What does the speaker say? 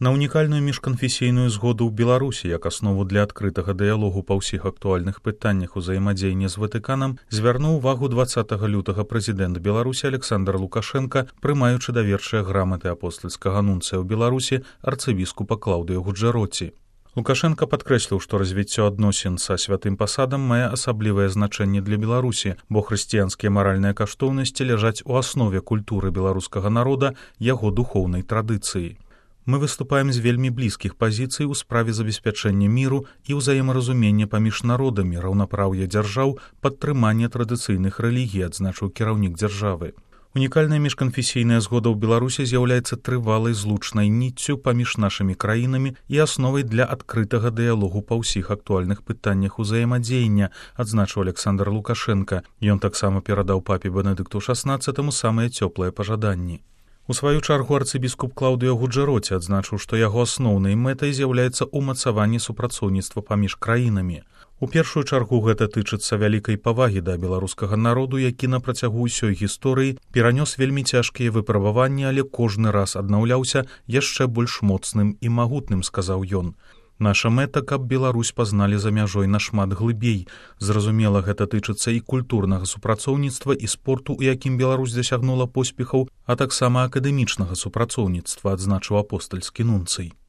На унікальную міжканфесійную згоду ў Беларусі як аснову для адкрытага дыялогу па ўсіх актуальных пытаннях узаемадзеяння з Ватыканам звярнуў увагу 20 лютага прэзідэнт Беларусі Александр Лукашенка, прымаючы даверчыя граматы апостальскага нунцыя ў Беларусі арцыбіскупа Клаўдыя Гуджэроці. Лукашенка падкрэсліў, што развіццё адносін са святым пасадам мае асаблівае значэнне для Беларусі, бо хрысціянскія маральныя каштоўнасці ляжаць у аснове культуры беларускага народа, яго духоўнай традыцыі. Мы выступаем з вельмі блізкіх пазіцый у справе забеспячэння міру і ўзаемаразумення паміж народамі, раўнапраўя дзяржаў, падтрымання традыцыйных рэлігій, адзначыў кіраўнік дзяржавы. Унікальная міжканфесійная згода ў Беларусі з'яўляецца трывалай злучнай ніццю паміж нашымі краінамі і асновай для адкрытага дыялогу па ўсіх актуальных пытаннях узаемадзеяння, адзначыў Александр Лукашенка. Ён таксама перадаў папе Бенедыкту XVI самыя цёплыя пажаданні. У сваю чаргу арцыбіскуп Клаўдыя Гуджэроці адзначыў, што яго асноўнай мэтай з'яўляецца ўмацаванне супрацоўніцтва паміж краінамі. У першую чаргу гэта тычыцца вялікай павагі да беларускага народу, які на працягу ўсёй гісторыі перанёс вельмі цяжкія выпрабаванні, але кожны раз аднаўляўся яшчэ больш моцным і магутным, сказаў ён. Наша мэта, каб Беларусь пазналі за мяжой нашмат глыбей. Зразумела, гэта тычыцца і культурнага супрацоўніцтва, і спорту, у якім Беларусь дасягнула поспехаў, а таксама акадэмічнага супрацоўніцтва, адзначыў апостальскі нунцый.